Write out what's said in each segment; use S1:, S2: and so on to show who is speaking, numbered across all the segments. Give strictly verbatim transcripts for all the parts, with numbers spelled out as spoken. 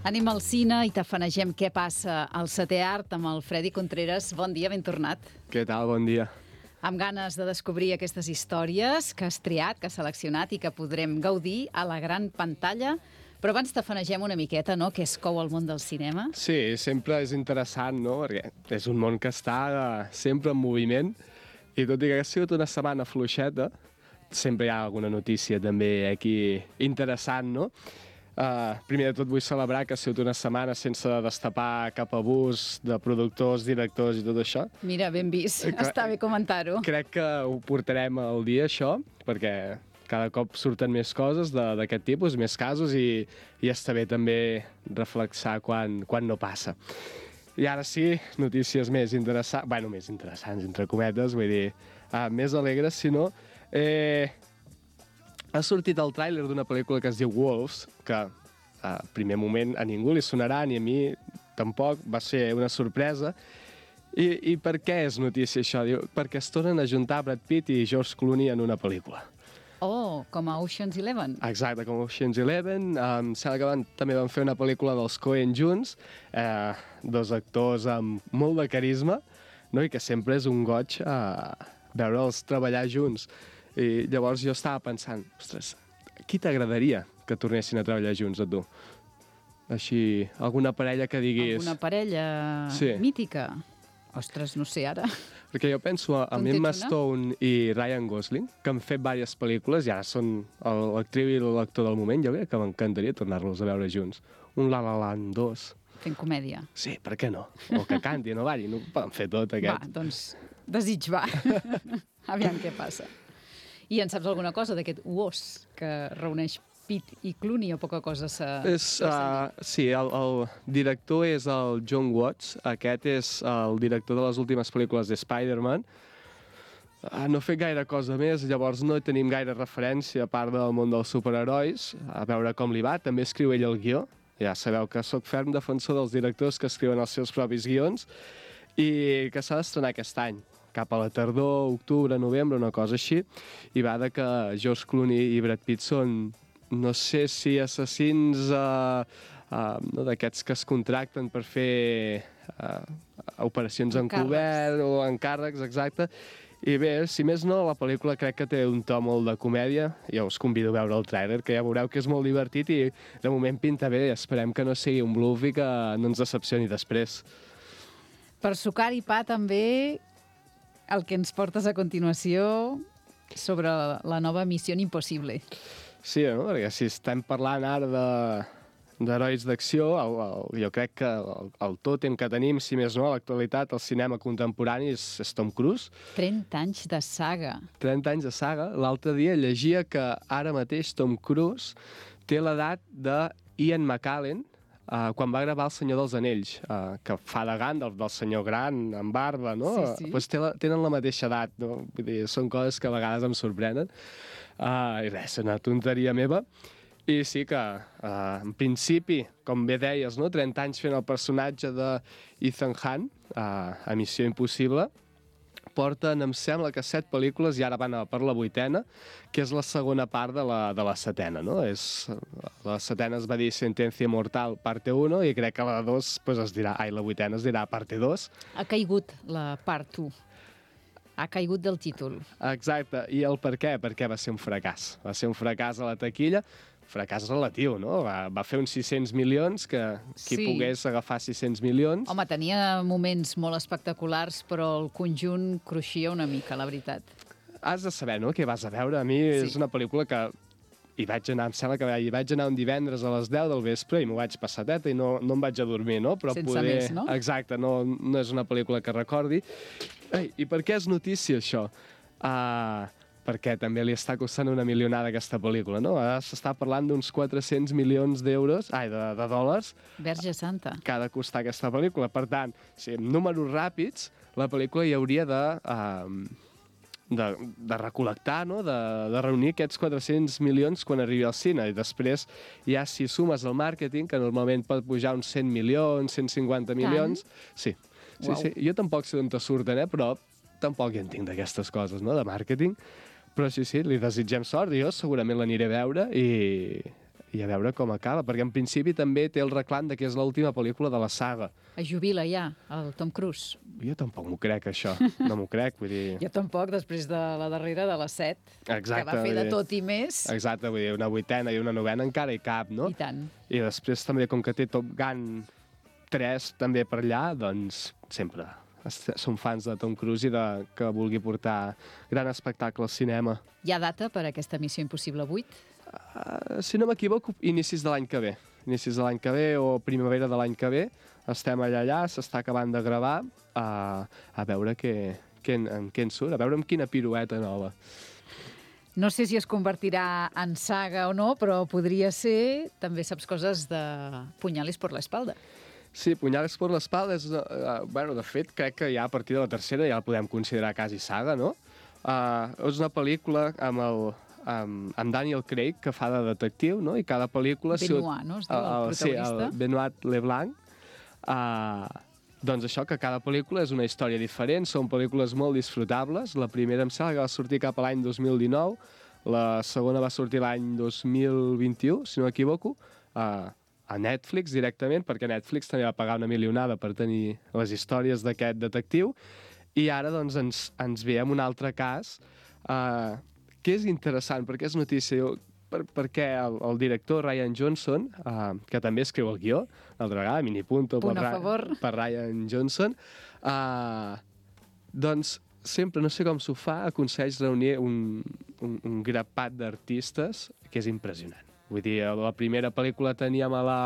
S1: Anem al cine i tafanegem què passa al setè art amb el Freddy Contreras. Bon dia, ben tornat.
S2: Què tal? Bon dia.
S1: Amb ganes de descobrir aquestes històries que has triat, que has seleccionat i que podrem gaudir a la gran pantalla. Però abans tafanegem una miqueta, no?, què es cou al món del cinema.
S2: Sí, sempre és interessant, no?, perquè és un món que està uh, sempre en moviment i tot i que ha sigut una setmana fluixeta, sempre hi ha alguna notícia també aquí interessant, no? Uh, primer de tot vull celebrar que ha sigut una setmana sense destapar cap abús de productors, directors i tot això.
S1: Mira, ben vist,
S2: que,
S1: està bé comentar-ho.
S2: Crec que ho portarem al dia, això, perquè cada cop surten més coses d'aquest tipus, més casos, i, i està bé també reflexar quan, quan no passa. I ara sí, notícies més interessants, bueno, més interessants, entre cometes, vull dir, uh, més alegres, si no. Eh, ha sortit el tràiler d'una pel·lícula que es diu Wolves, que a primer moment a ningú li sonarà, ni a mi tampoc, va ser una sorpresa. I, i per què és notícia això? Diu, perquè es tornen a juntar Brad Pitt i George Clooney en una pel·lícula.
S1: Oh, com a Ocean's Eleven.
S2: Exacte, com a Ocean's Eleven. Em sembla que van, també van fer una pel·lícula dels Coen junts, eh, dos actors amb molt de carisma, no? I que sempre és un goig eh, veure'ls treballar junts. I llavors jo estava pensant, ostres, qui t'agradaria que tornessin a treballar junts, a tu? Així, alguna parella que diguis...
S1: Alguna parella sí. mítica? Ostres, no sé ara.
S2: Perquè jo penso en Emma Stone i Ryan Gosling, que han fet diverses pel·lícules i ara són l'actriu i l'actor del moment. Jo crec que m'encantaria tornar-los a veure junts. Un La La Land dos.
S1: Fent comèdia.
S2: Sí, per què no? O que cantin o ballin, no poden fer tot aquest.
S1: Va, doncs desig va. Aviam què passa. I en saps alguna cosa d'aquest U O S que reuneix Pitt i Clooney o poca cosa s'ha...
S2: Uh, sí, el, el director és el John Watts. Aquest és el director de les últimes pel·lícules de Spider-Man. Uh, no ha fet gaire cosa més, llavors no tenim gaire referència a part del món dels superherois, a veure com li va. També escriu ell el guió. Ja sabeu que sóc ferm defensor dels directors que escriuen els seus propis guions i que s'ha d'estrenar aquest any, cap a la tardor, octubre, novembre, una cosa així, i va de que George Clooney i Brad Pitt són, no sé si assassins uh, uh, no, d'aquests que es contracten per fer uh, operacions encobert o encàrrecs, exacte. I bé, si més no, la pel·lícula crec que té un to molt de comèdia. Jo us convido a veure el tràiler, que ja veureu que és molt divertit i de moment pinta bé. Esperem que no sigui un bluff i que no ens decepcioni després.
S1: Per sucar i pa també el que ens portes a continuació sobre la nova Missió Impossible.
S2: Sí, no? Perquè si estem parlant ara de d'herois d'acció, el, el, jo crec que el, el tòtem que tenim, si més no, a l'actualitat, el cinema contemporani és, és Tom Cruise.
S1: trenta anys de saga.
S2: trenta anys de saga. L'altre dia llegia que ara mateix Tom Cruise té l'edat de Ian McKellen, Uh, quan va gravar El Senyor dels Anells, uh, que fa de Gandalf, del senyor gran, amb barba, no?
S1: Sí, sí.
S2: Pues té la, tenen la mateixa edat, no? Vull dir, són coses que a vegades em sorprenen. Uh, I res, una tonteria meva. I sí que, uh, en principi, com bé deies, no? trenta anys fent el personatge de Ethan Hunt, uh, a Missió Impossible, porten, em sembla que set pel·lícules i ara van per la vuitena, que és la segona part de la, de la setena, no? És, la setena es va dir Sentencia Mortal, parte uno, i crec que la dos pues, es dirà, ai, la vuitena es dirà parte dos.
S1: Ha caigut la part u. Ha caigut del títol.
S2: Exacte. I el per què? Perquè va ser un fracàs. Va ser un fracàs a la taquilla, fracàs relatiu, no? Va, va fer uns sis-cents milions, que qui sí. pogués agafar sis-cents milions...
S1: Home, tenia moments molt espectaculars, però el conjunt cruixia una mica, la veritat.
S2: Has de saber, no?, què vas a veure. A mi sí. és una pel·lícula que hi vaig anar, em sembla que hi vaig anar un divendres a les deu del vespre i m'ho vaig passar teta i no, no em vaig a dormir, no? Però
S1: sense
S2: poder...
S1: més, no?
S2: Exacte, no, no és una pel·lícula que recordi. Ei, i per què és notícia, això? Ah... Uh... perquè també li està costant una milionada aquesta pel·lícula, no? Ara s'està parlant d'uns quatre-cents milions d'euros, ai, de, de dòlars...
S1: Verge Santa.
S2: Que ha de costar aquesta pel·lícula. Per tant, si amb números ràpids, la pel·lícula hi hauria de, uh, de, de recol·lectar, no? de, de reunir aquests quatre-cents milions quan arribi al cine. I després, ja si sumes el màrqueting, que normalment pot pujar uns cent milions, cent cinquanta milions... Sí, sí, sí. Jo tampoc sé d'on te surten, eh? Però tampoc hi entenc d'aquestes coses, no?, de màrqueting. Però sí, sí, li desitgem sort i jo segurament l'aniré a veure i, i a veure com acaba, perquè en principi també té el reclam de que és l'última pel·lícula de la saga.
S1: Es jubila ja, el Tom Cruise.
S2: Jo tampoc m'ho crec, això. No m'ho crec, vull dir...
S1: Jo tampoc, després de la darrera de les set,
S2: Exacte,
S1: que va fer de tot i més.
S2: Exacte, vull dir, una vuitena i una novena encara hi cap, no?
S1: I tant.
S2: I després també, com que té Top Gun tres també per allà, doncs sempre som fans de Tom Cruise i de que vulgui portar gran espectacle al cinema.
S1: Hi ha data per a aquesta Missió Impossible vuit?
S2: Uh, si no m'equivoco, inicis de l'any que ve. Inicis de l'any que ve o primavera de l'any que ve. Estem allà allà, s'està acabant de gravar, uh, a veure què, què, en, en què en surt, a veure amb quina pirueta nova.
S1: No sé si es convertirà en saga o no, però podria ser, també saps coses de Puñales por la espalda.
S2: Sí, Puñales por la espalda és... Uh, bueno, de fet, crec que ja a partir de la tercera ja la podem considerar quasi saga, no? Uh, és una pel·lícula amb, el, amb, amb Daniel Craig, que fa de detectiu, no? I cada pel·lícula...
S1: Benoit, no? Es diu, el, el protagonista.
S2: Sí, el Benoit Leblanc. Uh, doncs això, que cada pel·lícula és una història diferent, són pel·lícules molt disfrutables. La primera em sembla que va sortir cap a l'any dos mil dinou, la segona va sortir l'any dos mil vint-i-u, si no m'equivoco, uh, a Netflix directament, perquè Netflix també va pagar una milionada per tenir les històries d'aquest detectiu, i ara doncs ens, ens ve amb un altre cas, uh, que és interessant, perquè és notícia, per, perquè el, el director Rian Johnson, uh, que també escriu el guió, l'altra vegada, mini punto
S1: Punt
S2: per,
S1: a favor.
S2: per Rian Johnson, uh, doncs sempre, no sé com s'ho fa, aconsegueix reunir un, un, un grapat d'artistes que és impressionant. Vull dir, a la primera pel·lícula teníem a la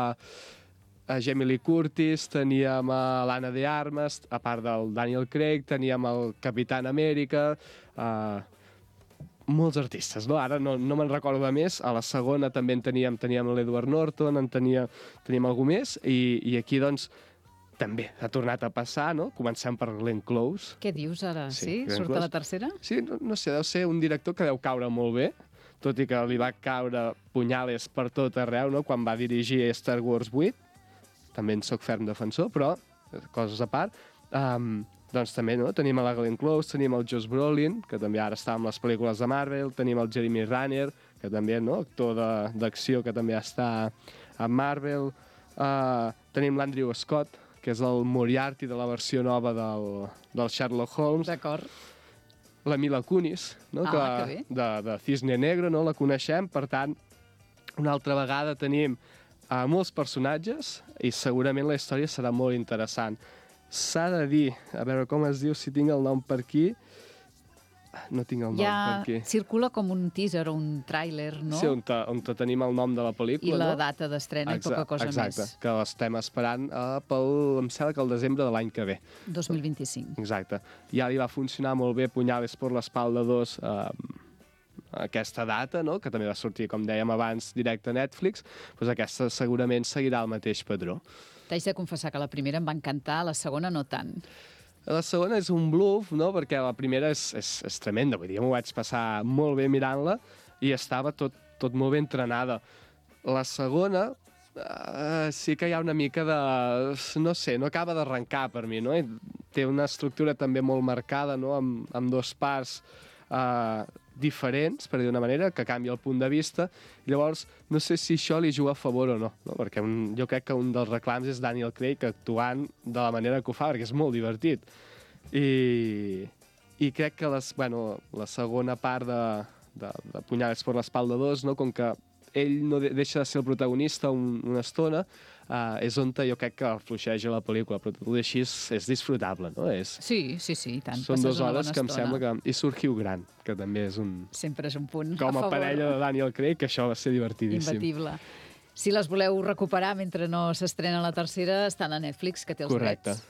S2: a Jamie Lee Curtis, teníem a l'Anna de Armas, a part del Daniel Craig, teníem el Capitán Amèrica, uh, molts artistes, no? Ara no, no me'n recordo de més. A la segona també en teníem, teníem l'Edward Norton, en tenia, teníem algú més, i, i aquí, doncs, també ha tornat a passar, no? Comencem per Glenn Close.
S1: Què dius ara? Sí?
S2: Sí,
S1: Surt a la tercera?
S2: Sí, no, no sé, deu ser un director que deu caure molt bé, tot i que li va caure Puñales per tot arreu, no? Quan va dirigir Star Wars vuit, també en soc ferm defensor, però, coses a part, um, doncs també no? Tenim a la Glenn Close, tenim el Josh Brolin, que també ara està amb les pel·lícules de Marvel, tenim el Jeremy Renner, que també, no? Actor d'acció, que també està a Marvel, uh, tenim l'Andrew Scott, que és el Moriarty de la versió nova del, del Sherlock Holmes.
S1: D'acord.
S2: La Mila Kunis, no?
S1: Ah,
S2: que,
S1: que bé.
S2: de, de Cisne Negro, no? La coneixem, per tant, una altra vegada tenim uh, molts personatges i segurament la història serà molt interessant. S'ha de dir, a veure com es diu, si tinc el nom per aquí, no tinc el nom
S1: ja
S2: per aquí.
S1: Circula com un teaser o un tràiler, no?
S2: Sí, on, te, on te tenim el nom de la pel·lícula,
S1: I la
S2: no?
S1: data d'estrena i poca cosa
S2: exacte,
S1: més.
S2: Exacte, que l'estem esperant uh, pel, em sembla que el desembre de l'any que ve.
S1: dos mil vint-i-cinc.
S2: Exacte. Ja li va funcionar molt bé Puñales por la espalda dos uh, aquesta data, no? Que també va sortir, com dèiem abans, directe a Netflix, doncs aquesta segurament seguirà el mateix patró.
S1: T'haig de confessar que la primera em va encantar, la segona no tant.
S2: La segona és un bluff, no? Perquè la primera és, és, és tremenda, vull dir, m'ho vaig passar molt bé mirant-la i estava tot, tot molt ben entrenada. La segona uh, sí que hi ha una mica de... no sé, no acaba d'arrencar per mi, no? I té una estructura també molt marcada, no? Amb, amb dos parts uh, diferents, per dir d'una manera, que canvia el punt de vista. I llavors, no sé si això li juga a favor o no, no? Perquè un, jo crec que un dels reclams és Daniel Craig actuant de la manera que ho fa, perquè és molt divertit. I, i crec que les, bueno, la segona part de, de, de Puñales por la espalda dos, no? Com que ell no de, deixa de ser el protagonista un, una estona, uh, és on jo crec que fluixeja la pel·lícula, però tot i així és, és disfrutable, no? És,
S1: sí, sí, sí, i tant.
S2: són dues hores que em
S1: estona.
S2: sembla que... I surt Hugh Grant, que també és un...
S1: Sempre és un punt
S2: com a,
S1: a favor.
S2: parella de Daniel Craig, que això va ser divertidíssim.
S1: Imbatible. Si les voleu recuperar mentre no s'estrena la tercera, estan a Netflix, que té els
S2: Correcte.
S1: drets.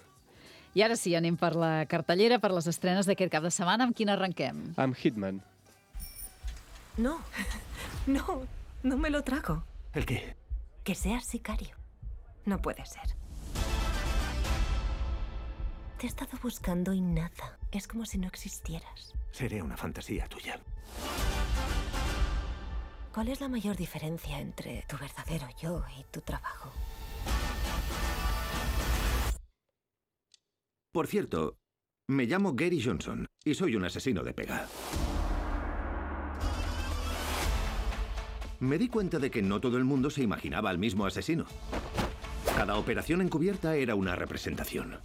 S1: I ara sí, anem per la cartellera, per les estrenes d'aquest cap de setmana. Amb quina arrenquem?
S2: Amb Hitman.
S3: No, no, no me lo trago.
S4: ¿El qué?
S3: Que seas sicario. No puede ser. Te he estado buscando y nada. Es como si no existieras.
S4: Seré una fantasía tuya.
S3: ¿Cuál es la mayor diferencia entre tu verdadero yo y tu trabajo?
S4: Por cierto, me llamo Gary Johnson y soy un asesino de pega. me di cuenta de que no todo el mundo se imaginaba al mismo asesino. Cada operación encubierta era una representación.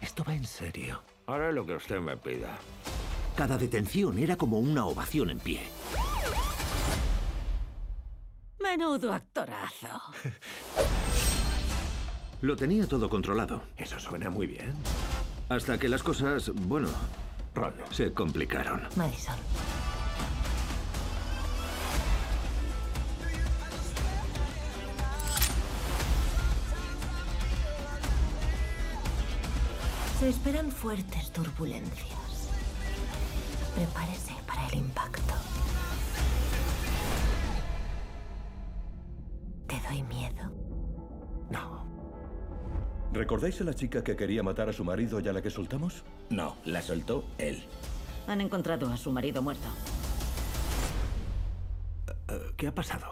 S4: Esto va en serio.
S5: Haré lo que usted me pida.
S4: Cada detención era como una ovación en pie.
S3: Menudo actorazo.
S4: Lo tenía todo controlado.
S5: Eso suena muy bien.
S4: Hasta que las cosas, bueno,
S5: Ron.
S4: se complicaron.
S3: Madison. Se esperan fuertes turbulencias. Prepárese para el impacto. ¿Te doy miedo?
S5: No.
S6: ¿Recordáis a la chica que quería matar a su marido y a la que soltamos?
S5: No, la soltó él.
S3: Han encontrado a su marido muerto.
S5: Uh, ¿Qué ha pasado?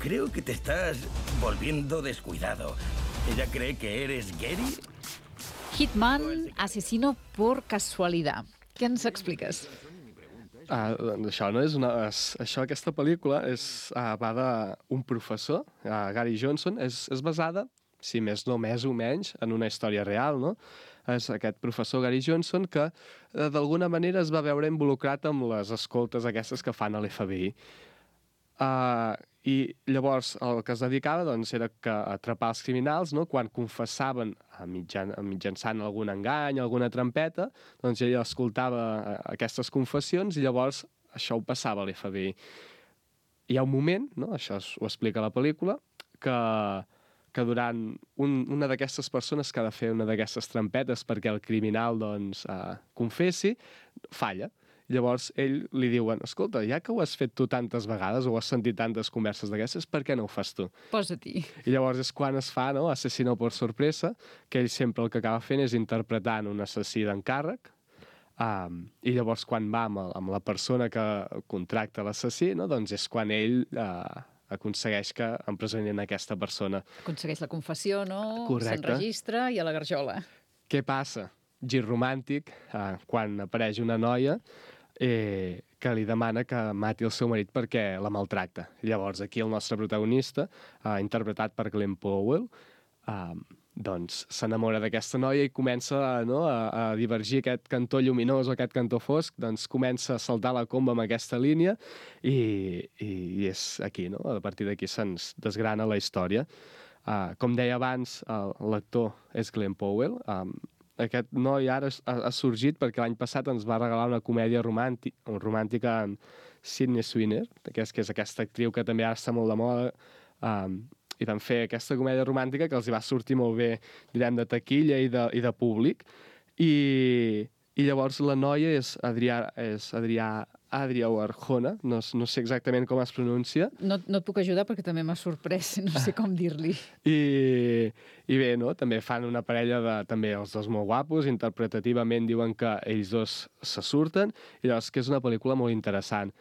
S5: Creo que te estás volviendo descuidado. ¿Ella cree que eres Gary?
S1: Hitman, asesino por casualidad. Què ens expliques?
S2: Ah, doncs això no és una... És, això, aquesta pel·lícula és, ah, va d'un professor, ah, Gary Johnson. És, és basada, si més no, més o menys, en una història real, no? És aquest professor Gary Johnson que eh, d'alguna manera es va veure involucrat amb les escoltes aquestes que fan a l'F B I. Uh, I llavors el que es dedicava doncs, era que atrapar els criminals, no? Quan confessaven a mitjan, a mitjançant algun engany, alguna trampeta, doncs ell escoltava aquestes confessions i llavors això ho passava a l'F B I. Hi ha un moment, no? Això ho explica la pel·lícula, que, que durant un, una d'aquestes persones que ha de fer una d'aquestes trampetes perquè el criminal doncs, uh, confessi, falla. Llavors, ell li diuen, escolta, ja que ho has fet tu tantes vegades o has sentit tantes converses d'aquestes, per què no ho fas tu?
S1: Posa-t'hi.
S2: I llavors és quan es fa, no?, Asesino por sorpresa, que ell sempre el que acaba fent és interpretant un assassí d'encàrrec, um, i llavors quan va amb, el, amb la persona que contracta l'assassí, no?, doncs és quan ell uh, aconsegueix que empresonin aquesta persona.
S1: Aconsegueix la confessió, no?
S2: Correcte.
S1: S'enregistra i a la garjola.
S2: Què passa? Gir romàntic, uh, quan apareix una noia eh, que li demana que mati el seu marit perquè la maltracta. Llavors, aquí el nostre protagonista, eh, interpretat per Glenn Powell, eh, doncs s'enamora d'aquesta noia i comença, no, a, a divergir aquest cantó lluminós o aquest cantó fosc, doncs comença a saltar la comba amb aquesta línia i, i, i és aquí, no? A partir d'aquí se'ns desgrana la història. Uh, com deia abans, uh, l'actor és Glenn Powell. Um, aquest noi ara ha, ha sorgit perquè l'any passat ens va regalar una comèdia romàntica, romàntica amb Sydney Sweeney, que és, que és aquesta actriu que també ara està molt de moda, um, i van fer aquesta comèdia romàntica que els hi va sortir molt bé, direm, de taquilla i de, i de públic. I, i llavors la noia és Adrià, és Adrià, Adrià Arjona, no, no sé exactament com es pronuncia.
S1: No, no et puc ajudar perquè també m'ha sorprès, no sé com dir-li.
S2: I, I bé, no? També fan una parella de, també els dos molt guapos, interpretativament diuen que ells dos se surten, i llavors que és una pel·lícula molt interessant.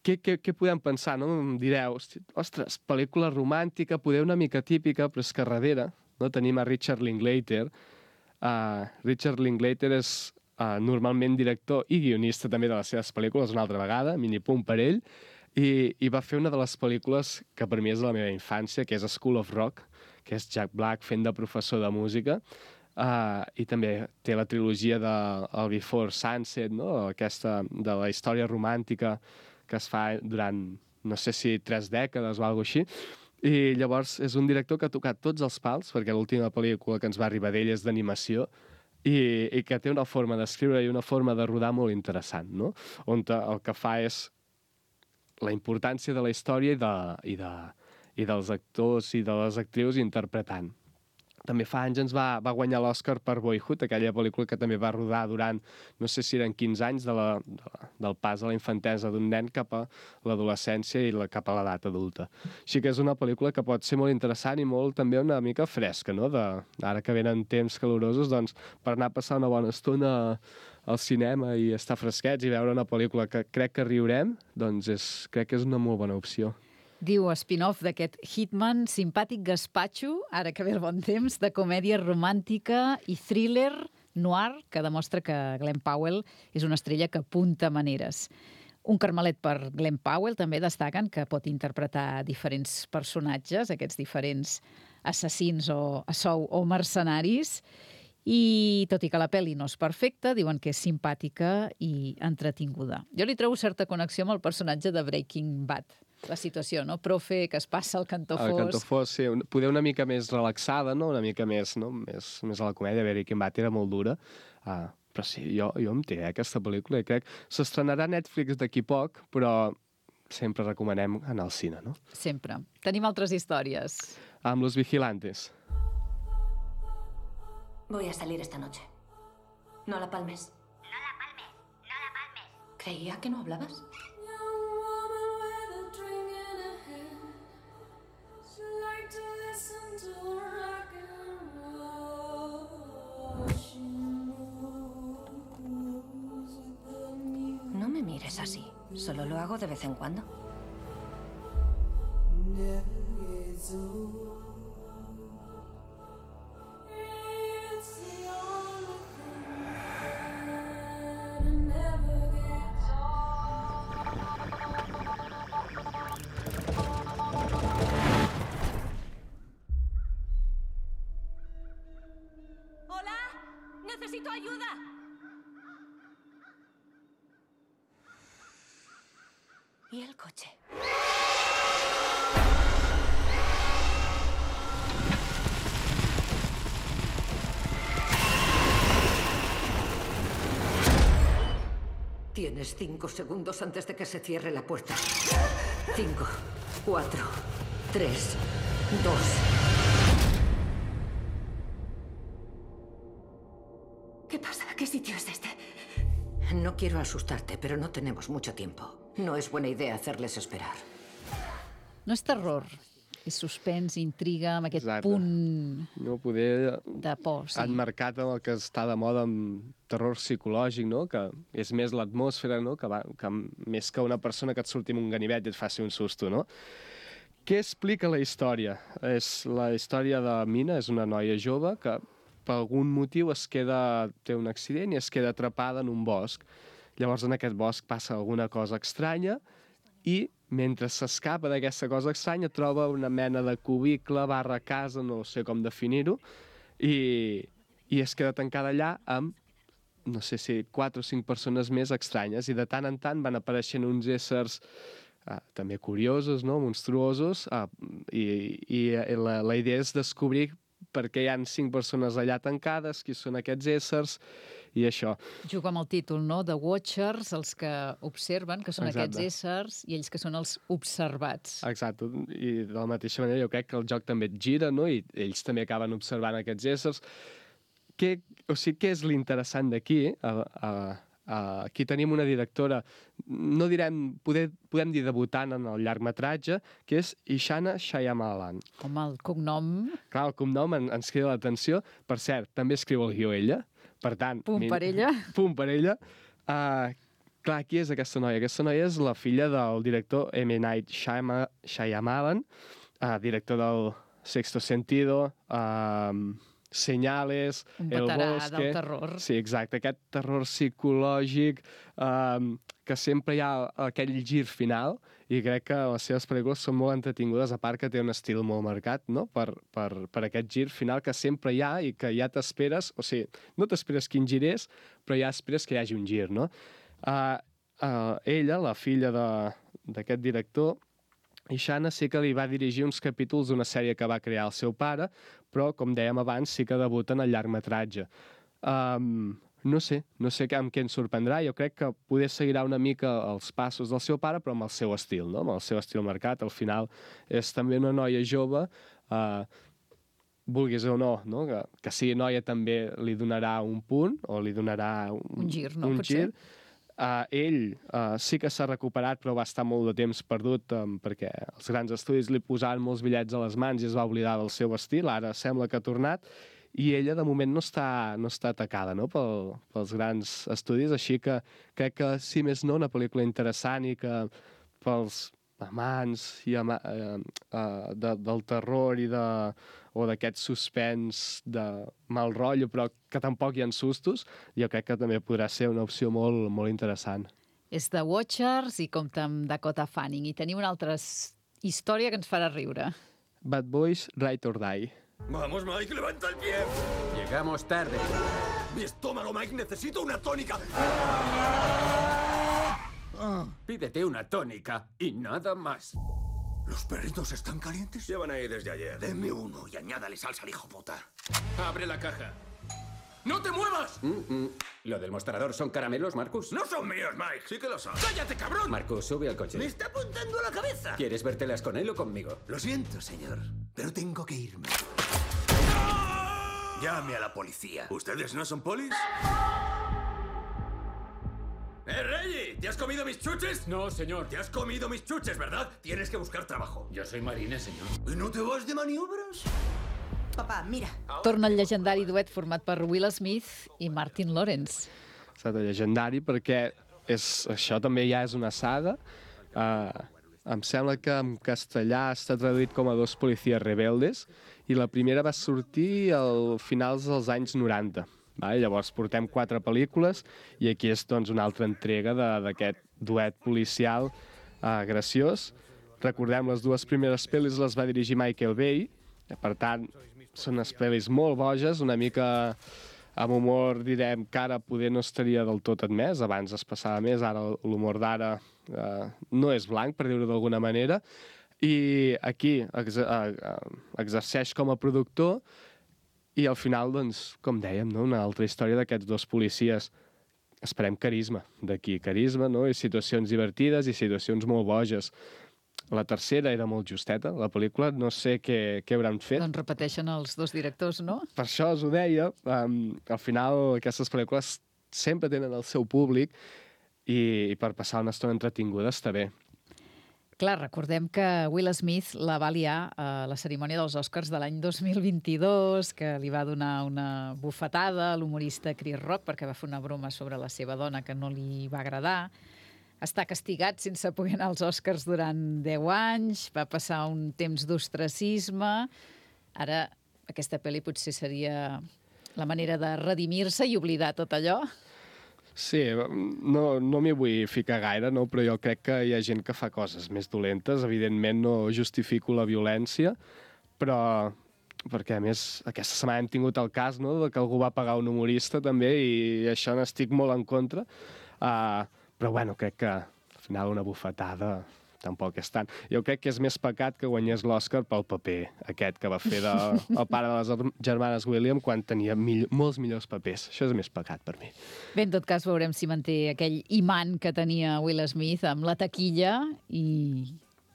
S2: Què, què, què podem pensar, no? Em direu, ostres, pel·lícula romàntica, poder una mica típica, però és que darrere, no? Tenim a Richard Linklater. Uh, Richard Linklater és uh, normalment director i guionista també de les seves pel·lícules, una altra vegada, mini punt per ell, i, i va fer una de les pel·lícules que per mi és de la meva infància, que és School of Rock, que és Jack Black fent de professor de música, uh, i també té la trilogia de el Before Sunset, no? Aquesta de la història romàntica que es fa durant, no sé si tres dècades o alguna cosa així. I llavors és un director que ha tocat tots els pals, perquè l'última pel·lícula que ens va arribar d'ell és d'animació, i, i que té una forma d'escriure i una forma de rodar molt interessant, no? On el que fa és la importància de la història i, de, i, de, i dels actors i de les actrius interpretant. També fa anys ens va, va guanyar l'Oscar per Boyhood, aquella pel·lícula que també va rodar durant, no sé si eren quinze anys, de la, de la, del pas de la infantesa d'un nen cap a l'adolescència i la, cap a l'edat adulta. Així que és una pel·lícula que pot ser molt interessant i molt també una mica fresca, no? De, ara que venen temps calorosos, doncs, per anar a passar una bona estona al cinema i estar fresquets i veure una pel·lícula que crec que riurem, doncs és, crec que és una molt bona opció.
S1: Diu spin-off d'aquest Hitman, simpàtic gaspatxo, ara que ve el bon temps, de comèdia romàntica i thriller noir que demostra que Glenn Powell és una estrella que apunta maneres. Un carmelet per Glenn Powell també destaquen que pot interpretar diferents personatges, aquests diferents assassins o a sou o mercenaris, i tot i que la pel·li no és perfecta, diuen que és simpàtica i entretinguda. Jo li trobo certa connexió amb el personatge de Breaking Bad. La situació, no? Profe, que es passa al cantó fos...
S2: El cantó fos, sí. Poder una mica més relaxada, no? Una mica més, no? més, més a la comèdia. Breaking Bad era molt dura. Ah, però sí, jo, jo em té, eh, aquesta pel·lícula. I crec s'estrenarà a Netflix d'aquí poc, però sempre recomanem anar al cine, no?
S1: Sempre. Tenim altres històries.
S2: Amb Los Vigilantes.
S3: Voy a salir esta noche. No la palmes.
S7: No la palmes, no la palmes.
S3: Creía que no hablabas. No me mires así. Solo lo hago de vez en cuando.
S7: ¡Hola! ¡Necesito ayuda!
S3: ¿Y el coche? Tienes cinco segundos antes de que se cierre la puerta. Cinco, cuatro, tres, dos. ¿Qué pasa? ¿Qué sitio es este? No quiero asustarte, pero no tenemos mucho tiempo. No es buena idea hacerles esperar.
S1: No és terror, és suspens, intriga, amb aquest
S2: Exacte.
S1: punt
S2: No poder...
S1: de por. Sí.
S2: Han marcat el que està de moda amb terror psicològic, no? Que és més l'atmosfera, no? Que, va, que més que una persona que et surti en un ganivet i et faci un susto, no? Què explica la història? És la història de Mina, és una noia jove que per algun motiu es queda, té un accident i es queda atrapada en un bosc. Llavors en aquest bosc passa alguna cosa estranya i mentre s'escapa d'aquesta cosa estranya troba una mena de cubicle barra casa, no sé com definir-ho, i, i es queda tancada allà amb, no sé si quatre o cinc persones més estranyes, i de tant en tant van apareixent uns éssers uh, també curiosos, no? Monstruosos, uh, i, i la, la idea és descobrir per què hi ha cinc persones allà tancades, qui són aquests éssers, i això.
S1: Juga amb el títol, no? The Watchers, els que observen, que són
S2: Exacte.
S1: aquests éssers, i ells que són els observats.
S2: Exacte, i de la mateixa manera jo crec que el joc també et gira, no? I ells també acaben observant aquests éssers. Què, o sigui, què és l'interessant d'aquí? A, a, a, aquí tenim una directora, no direm, poder, podem dir debutant en el llargmetratge, que és Ishana Shyamalan.
S1: Com el cognom...
S2: Clar, el cognom en, ens crida l'atenció. Per cert, també escriu el guió ella. Per tant...
S1: Punt
S2: mi-
S1: per ella.
S2: Punt per ella. Uh, clar, qui és aquesta noia? Aquesta noia és la filla del director M. Night Shyama- Shyamalan, uh, director del Sexto Sentido, uh, Señales,
S1: Un
S2: El
S1: veterà
S2: Bosque...
S1: del terror.
S2: Sí, exacte, aquest terror psicològic, um, que sempre hi ha aquell gir final, i crec que les seves pel·lícules són molt entretingudes, a part que té un estil molt marcat, no?, per, per, per aquest gir final que sempre hi ha i que ja t'esperes, o sigui, no t'esperes quin gir és, però ja esperes que hi hagi un gir, no? Uh, uh, ella, la filla de- d'aquest director, Ishana, sí que li va dirigir uns capítols d'una sèrie que va crear el seu pare, però, com dèiem abans, sí que debuta en el llargmetratge. Um, no sé, no sé amb què ens sorprendrà. Jo crec que poder seguirà una mica els passos del seu pare, però amb el seu estil, no? Amb el seu estil marcat. Al final és també una noia jove, uh, vulguis o no, no? Que, que sigui noia també li donarà un punt, o li donarà un,
S1: Un gir, no?
S2: un
S1: Potser.
S2: gir. Uh, ell uh, sí que s'ha recuperat, però va estar molt de temps perdut um, perquè els grans estudis li posaven molts bitllets a les mans i es va oblidar del seu estil. Ara sembla que ha tornat, i ella de moment no està, no està atacada, no?, Pel, pels grans estudis, així que crec que, si més no, una pel·lícula interessant i que pels amants i ama eh, eh, de, del terror i de, o d'aquest suspens de mal rotllo, però que tampoc hi ha sustos, jo crec que també podrà ser una opció molt, molt interessant.
S1: És The Watchers i compta amb Dakota Fanning. I tenim una altra història que ens farà riure.
S2: Bad Boys, Ride or Die.
S5: Vamos, Mike, levanta el pie.
S8: Llegamos tarde.
S5: Mi estómago, Mike, necesito una tónica.
S8: Pídete una tónica y nada más.
S5: ¿Los perritos están calientes? Llevan ahí desde ayer. Denme uno y añádale salsa al hijo puta.
S8: Abre la caja. ¡No te muevas! Mm, mm. ¿Lo del mostrador son caramelos, Marcus?
S5: No son míos, Mike. Sí que lo son.
S8: ¡Cállate, cabrón! Marcus, sube al coche.
S5: Me está apuntando a la cabeza.
S8: ¿Quieres vértelas con él o conmigo?
S5: Lo siento, señor, pero tengo que irme. Llame a la policía. ¿Ustedes no son polis? ¡Eh, Reggie! ¿Te has comido mis chuches?
S8: No, señor.
S5: Te has comido mis chuches, ¿verdad? Tienes que buscar trabajo.
S8: Yo soy marine, señor.
S5: ¿Y no te vas de maniobras?
S3: Papà, mira.
S1: Torna el llegendari duet format per Will Smith i Martin Lawrence.
S2: Ha estat llegendari perquè és, això també ja és una saga. Uh, em sembla que en castellà està traduït com a Dos policies rebeldes i la primera va sortir al finals dels anys noranta. Vale? Llavors portem quatre pel·lícules i aquí és doncs, una altra entrega d'aquest duet policial uh, graciós. Recordem, les dues primeres pel·lis les va dirigir Michael Bay, per tant, són unes pel·lis molt boges, una mica amb humor, direm, que ara poder no estaria del tot admès, abans es passava més, ara l'humor d'ara eh, no és blanc, per dir-ho d'alguna manera, i aquí ex eh, exerceix com a productor i al final, doncs, com dèiem, no? Una altra història d'aquests dos policies. Esperem carisma d'aquí, carisma, no? I situacions divertides i situacions molt boges. La tercera era molt justeta, la pel·lícula, no sé què, què hauran fet.
S1: Doncs repeteixen els dos directors, no?
S2: Per això us ho deia, um, al final aquestes pel·lícules sempre tenen el seu públic i, i per passar una estona entretinguda està bé.
S1: Clar, recordem que Will Smith la va liar a la cerimònia dels Oscars de l'any dos mil vint-i-dos, que li va donar una bufetada a l'humorista Chris Rock perquè va fer una broma sobre la seva dona que no li va agradar. Està castigat sense poder anar als Oscars durant deu anys, va passar un temps d'ostracisme. Ara, aquesta pel·li potser seria la manera de redimir-se i oblidar tot allò.
S2: Sí, no, no m'hi vull ficar gaire, no? Però jo crec que hi ha gent que fa coses més dolentes. Evidentment no justifico la violència, però perquè, a més, aquesta setmana hem tingut el cas, no?, de que algú va pagar un humorista també i això n'estic molt en contra. Uh, Però, bueno, crec que al final una bufetada tampoc és tant. Jo crec que és més pecat que guanyés l'Oscar pel paper aquest que va fer de, el pare de les germanes Williams quan tenia mill molts millors papers. Això és més pecat per mi.
S1: Bé, en tot cas, veurem si manté aquell imant que tenia Will Smith amb la taquilla i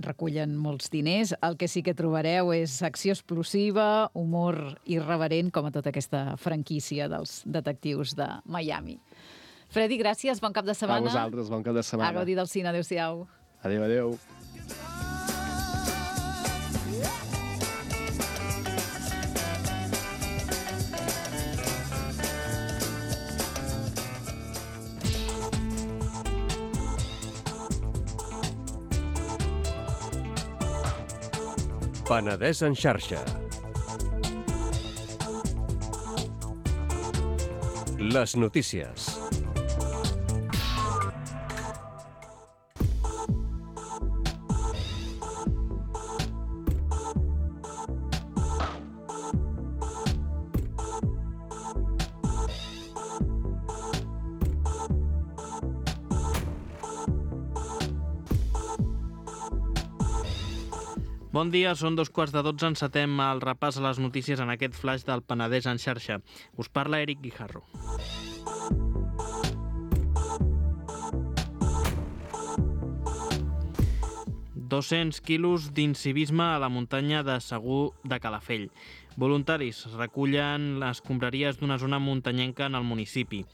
S1: recullen molts diners. El que sí que trobareu és acció explosiva, humor irreverent, com a tota aquesta franquícia dels detectius de Miami. Freddy, gràcies, bon cap de setmana.
S2: A vosaltres, bon cap de setmana.
S1: A gaudir del cine, adéu-siau.
S2: Adéu, adéu.
S9: Penedès en xarxa. Les notícies.
S10: Bon dia, són dos quarts de dotze, encetem el repàs a les notícies en aquest flash del Penedès en xarxa. Us parla Eric Guijarro. dos-cents quilos d'incivisme a la muntanya de Segur de Calafell. Voluntaris recullen les escombraries d'una zona muntanyenca en el municipi.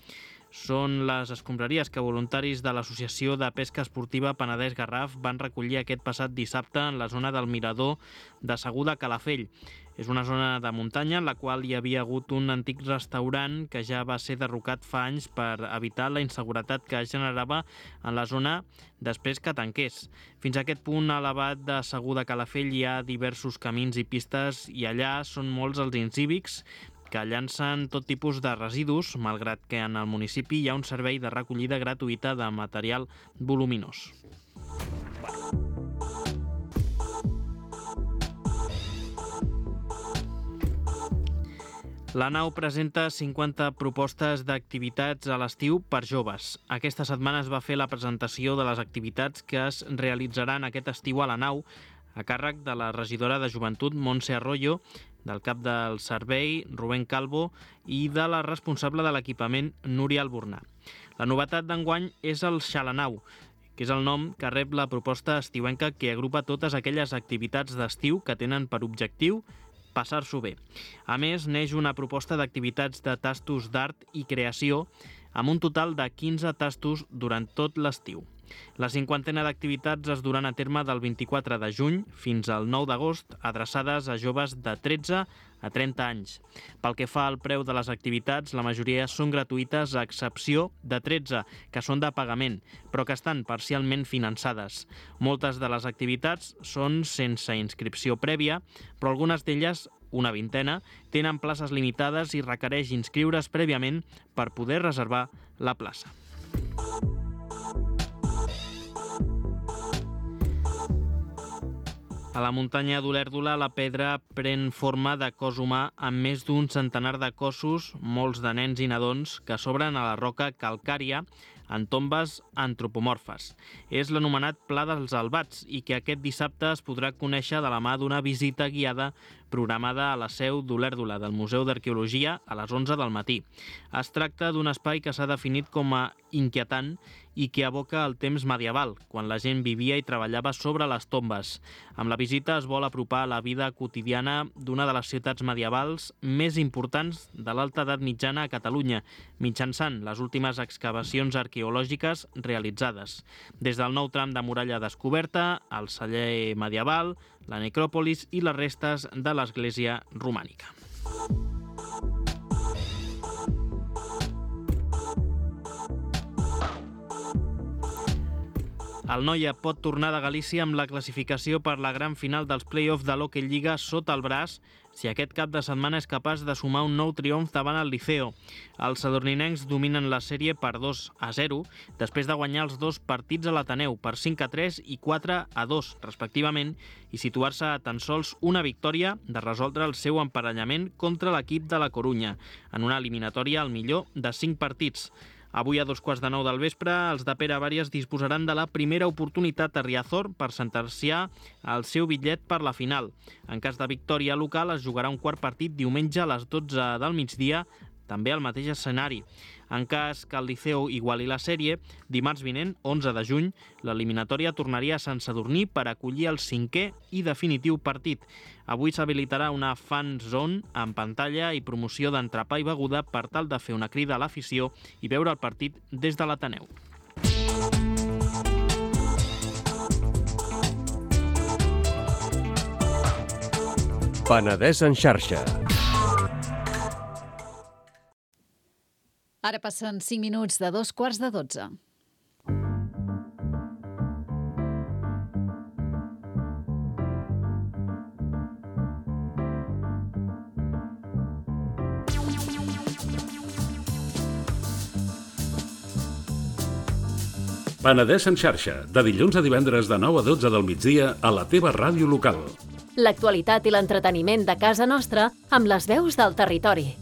S10: Són les escombraries que voluntaris de l'Associació de Pesca Esportiva Penedès Garraf van recollir aquest passat dissabte en la zona del mirador de Segur de Calafell. És una zona de muntanya en la qual hi havia hagut un antic restaurant que ja va ser derrocat fa anys per evitar la inseguretat que es generava en la zona després que tanqués. Fins a aquest punt elevat de Segur de Calafell hi ha diversos camins i pistes i allà són molts els incívics que llancen tot tipus de residus, malgrat que en el municipi hi ha un servei de recollida gratuïta de material voluminós. La nau presenta cinquanta propostes d'activitats a l'estiu per joves. Aquesta setmana es va fer la presentació de les activitats que es realitzaran aquest estiu a la nau, a càrrec de la regidora de Joventut, Montse Arroyo, del cap del servei, Rubén Calvo, i de la responsable de l'equipament, Núria Albornà. La novetat d'enguany és el Xalanau, que és el nom que rep la proposta estiuenca que agrupa totes aquelles activitats d'estiu que tenen per objectiu passar-s'ho bé. A més, neix una proposta d'activitats de tastos d'art i creació amb un total de quinze tastos durant tot l'estiu. La cinquantena d'activitats es duran a terme del vint-i-quatre de juny fins al nou d'agost, adreçades a joves de tretze a trenta anys. Pel que fa al preu de les activitats, la majoria són gratuïtes a excepció de tretze, que són de pagament, però que estan parcialment finançades. Moltes de les activitats són sense inscripció prèvia, però algunes d'elles, una vintena, tenen places limitades i requereix inscriure's prèviament per poder reservar la plaça. A la muntanya d'Olèrdola, la pedra pren forma de cos humà amb més d'un centenar de cossos, molts de nens i nadons, que s'obren a la roca calcària en tombes antropomorfes. És l'anomenat Pla dels Albats i que aquest dissabte es podrà conèixer de la mà d'una visita guiada programada a la seu d'Olèrdola del Museu d'Arqueologia a les onze del matí. Es tracta d'un espai que s'ha definit com a inquietant i que evoca el temps medieval, quan la gent vivia i treballava sobre les tombes. Amb la visita es vol apropar la vida quotidiana d'una de les ciutats medievals més importants de l'alta edat mitjana a Catalunya, mitjançant les últimes excavacions arqueològiques realitzades. Des del nou tram de muralla descoberta, el celler medieval, la necròpolis i les restes de l'església romànica. El Noia pot tornar de Galícia amb la classificació per la gran final dels play-offs de l'Hockey Lliga sota el braç si aquest cap de setmana és capaç de sumar un nou triomf davant el Liceo. Els sadorninencs dominen la sèrie per dos a zero, després de guanyar els dos partits a l'Ateneu per cinc a tres i quatre a dos, respectivament, i situar-se a tan sols una victòria de resoldre el seu emparellament contra l'equip de la Corunya, en una eliminatòria al millor de cinc partits. Avui a dos quarts de nou del vespre, els de Pere Vàries disposaran de la primera oportunitat a Riazor per sentenciar el seu bitllet per la final. En cas de victòria local, es jugarà un quart partit diumenge a les dotze del migdia, també al mateix escenari. En cas que el Liceu iguali la sèrie, dimarts vinent, onze de juny, l'eliminatòria tornaria a Sant Sadurní per acollir el cinquè i definitiu partit. Avui s'habilitarà una fan zone amb pantalla i promoció d'entrepà i beguda per tal de fer una crida a l'afició i veure el partit des de l'Ateneu.
S9: Penedès en xarxa.
S1: Ara passen cinc minuts de dos quarts de dotze.
S11: Penedès en xarxa, de dilluns a divendres de nou a dotze del migdia a la teva ràdio local.
S12: L'actualitat i l'entreteniment de casa nostra amb les veus del territori.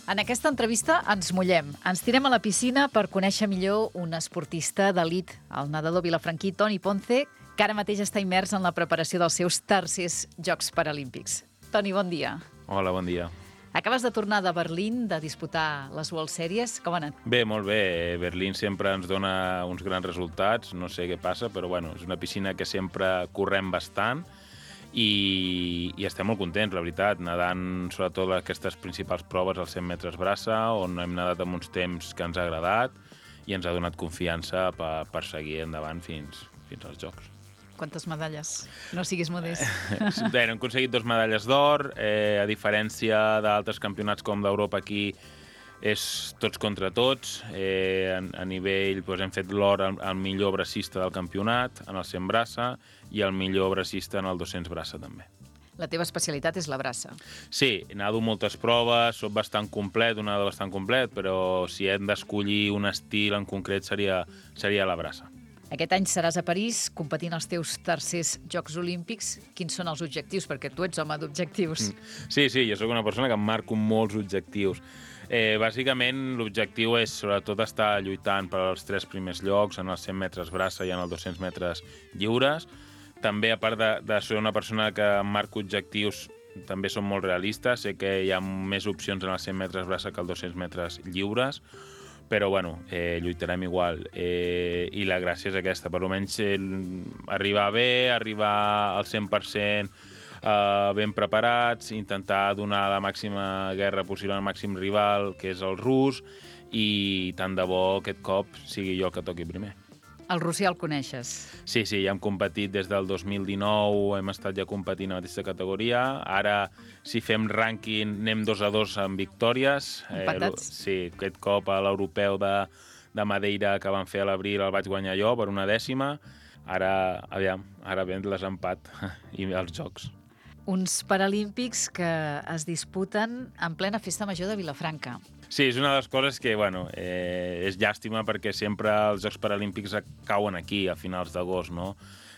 S1: En aquesta entrevista ens mullem. Ens tirem a la piscina per conèixer millor un esportista d'elit, el nedador vilafranquí Toni Ponce, que ara mateix està immers en la preparació dels seus tercers Jocs Paralímpics. Toni, bon dia.
S13: Hola, bon dia.
S1: Acabes de tornar de Berlín, de disputar les World Series. Com ha anat?
S13: Bé, molt bé. Berlín sempre ens dona uns grans resultats. No sé què passa, però bueno, és una piscina que sempre correm bastant i, i estem molt contents, la veritat, nedant sobretot aquestes principals proves als cent metres braça, on hem nedat amb uns temps que ens ha agradat i ens ha donat confiança per, per seguir endavant fins, fins als Jocs.
S1: Quantes medalles? No siguis modest.
S13: Bé, hem aconseguit dos medalles d'or, eh, a diferència d'altres campionats com d'Europa aquí, és tots contra tots. Eh, a, a nivell, doncs, hem fet l'or al, al millor bracista del campionat, en el cent braça, i el millor bracista en el dos-cents braça, també.
S1: La teva especialitat és la braça.
S13: Sí, nado moltes proves, soc bastant complet, un nadador bastant complet, però si hem d'escollir un estil en concret seria, seria la braça.
S1: Aquest any seràs a París competint als teus tercers Jocs Olímpics. Quins són els objectius? Perquè tu ets home d'objectius.
S13: Sí, sí, jo sóc una persona que em marco molts objectius. Eh, bàsicament, l'objectiu és sobretot estar lluitant per als tres primers llocs, en els cent metres braça i en els dos-cents metres lliures. També, a part de, de ser una persona que em marco objectius, també són molt realistes. Sé que hi ha més opcions en els cent metres braça que els dos-cents metres lliures, però bueno, eh, lluitarem igual. Eh, I la gràcia és aquesta, per almenys eh, arribar bé, arribar al cent per cent eh, ben preparats, intentar donar la màxima guerra possible al màxim rival, que és el rus, i tant de bo aquest cop sigui jo el que toqui primer.
S1: El rus ja el coneixes?
S13: Sí, sí, ja hem competit des del dos mil dinou, hem estat ja competint a la mateixa categoria. Ara, si fem rànquing, anem dos a dos amb victòries.
S1: Empatats?
S13: Eh, sí, aquest cop a l'europeu de, de Madeira que van fer a l'abril el vaig guanyar jo per una dècima. Ara, aviam, ara ve el desempat i els Jocs.
S1: Uns Paralímpics que es disputen en plena festa major de Vilafranca.
S13: Sí, és una de les coses que, bueno, eh, és llàstima perquè sempre els Jocs Paralímpics cauen aquí, a finals d'agost, no?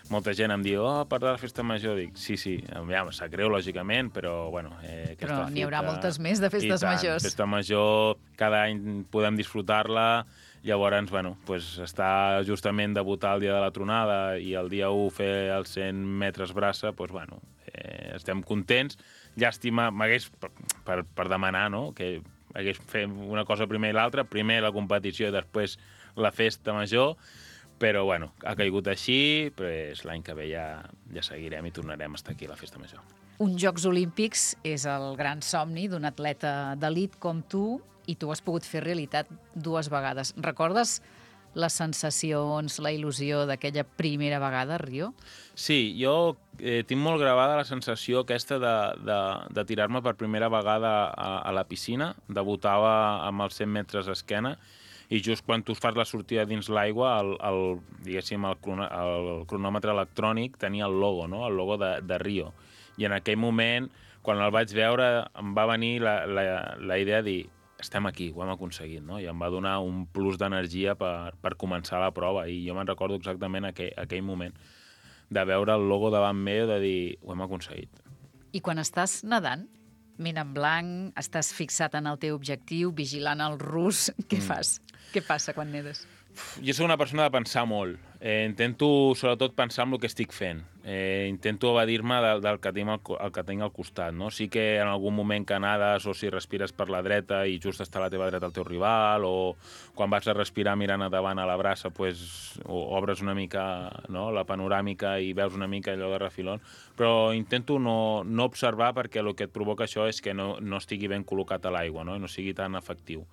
S13: Molta gent em diu, oh, per la festa major. Dic, sí, sí, ja em sap greu, lògicament, però, bueno... Eh,
S1: però n'hi haurà moltes més de festes majors.
S13: Festa major, cada any podem disfrutar-la, llavors, bueno, pues, està justament debutar el dia de la tronada i el dia u fer els cent metres braça, pues, bueno, eh, estem contents. Llàstima, m'hagués, per, per, per demanar, no?, que hagués fet una cosa primer i l'altra, primer la competició i després la festa major, però bueno, ha caigut així, però l'any que ve ja, ja seguirem i tornarem a estar aquí a la festa major.
S1: Uns Jocs Olímpics és el gran somni d'un atleta d'elit com tu i tu has pogut fer realitat dues vegades. Recordes les sensacions, la il·lusió d'aquella primera vegada a Rio?
S13: Sí, jo eh, tinc molt gravada la sensació aquesta de, de, de tirar-me per primera vegada a, a la piscina. Debutava amb els cent metres d'esquena i just quan tu fas la sortida dins l'aigua, el, el, diguéssim, el, crono, el cronòmetre electrònic tenia el logo, no?, el logo de, de Rio. I en aquell moment, quan el vaig veure, em va venir la, la, la idea de dir estem aquí, ho hem aconseguit, no? I em va donar un plus d'energia per, per començar la prova. I jo me'n recordo exactament aquell, aquell moment de veure el logo davant meu, de dir, ho hem aconseguit.
S1: I quan estàs nedant, ment en blanc, estàs fixat en el teu objectiu, vigilant el rus, què mm. fas? Què passa quan nedes?
S13: Jo soc una persona de pensar molt. Eh, intento, sobretot, pensar en el que estic fent. Eh, intento evadir-me del, del que tinc al, el que tinc al costat, no? Sí que en algun moment que nades o si respires per la dreta i just està a la teva dreta el teu rival, o quan vas a respirar mirant davant a la braça, pues, o obres una mica, no?, la panoràmica i veus una mica allò de refilón, però intento no, no observar perquè el que et provoca això és que no, no estigui ben col·locat a l'aigua, no?, i no sigui tan efectiu.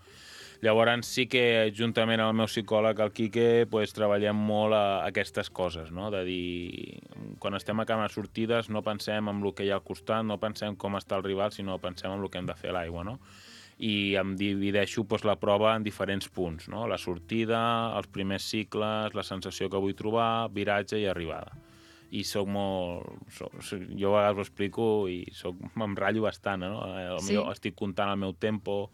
S13: Llavors sí que, juntament amb el meu psicòleg, el Quique, pues, treballem molt a, a aquestes coses, no? De dir, quan estem acabant sortides, no pensem en el que hi ha al costat, no pensem com està el rival, sinó pensem en el que hem de fer a l'aigua, no? I em divideixo pues, la prova en diferents punts, no? La sortida, els primers cicles, la sensació que vull trobar, viratge i arribada. I soc molt... Soc, jo a vegades ho explico i soc, em ratllo bastant, no? El
S1: sí.
S13: meu, estic comptant el meu tempo,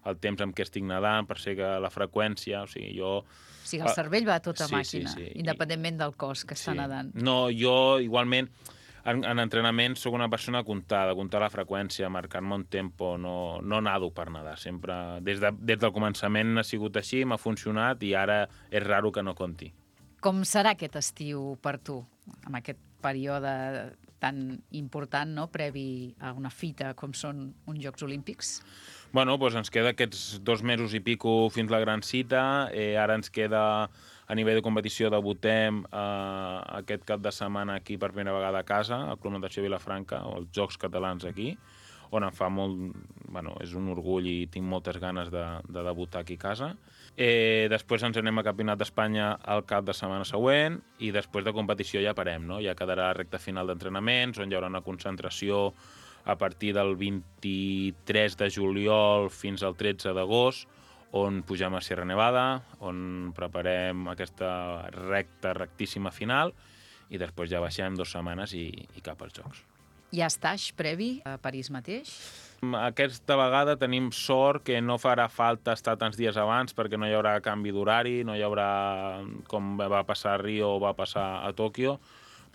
S13: el temps amb què estic nedant, per ser que la freqüència, o sigui, jo...
S1: O sigui, el cervell va a tota
S13: sí,
S1: màquina,
S13: sí, sí.
S1: independentment del cos que està
S13: sí.
S1: nedant.
S13: No, jo igualment, en, en entrenament sóc una persona a comptar, de comptar la freqüència, marcar-me un tempo, no, no nado per nedar, sempre... Des, de, des del començament ha sigut així, m'ha funcionat i ara és raro que no compti.
S1: Com serà aquest estiu per tu, amb aquest període tan important, no?, previ a una fita com són uns Jocs Olímpics?
S13: Bueno, doncs ens queda aquests dos mesos i pico fins la gran cita. Eh, ara ens queda, a nivell de competició, debutem eh, aquest cap de setmana aquí per primera vegada a casa, al Club Natació Vilafranca, o els Jocs Catalans aquí, on em fa molt... Bueno, és un orgull i tinc moltes ganes de, de debutar aquí a casa. Eh, després ens anem a Campionat d'Espanya el cap de setmana següent i després de competició ja parem, no? Ja quedarà la recta final d'entrenaments, on hi haurà una concentració a partir del vint-i-tres de juliol fins al tretze d'agost, on pugem a Sierra Nevada, on preparem aquesta recta, rectíssima final, i després ja baixem dues setmanes i, i cap als Jocs.
S1: Hi ha estatge previ a París mateix?
S13: Aquesta vegada tenim sort que no farà falta estar tants dies abans perquè no hi haurà canvi d'horari, no hi haurà, com va passar a Rio o va passar a Tòquio.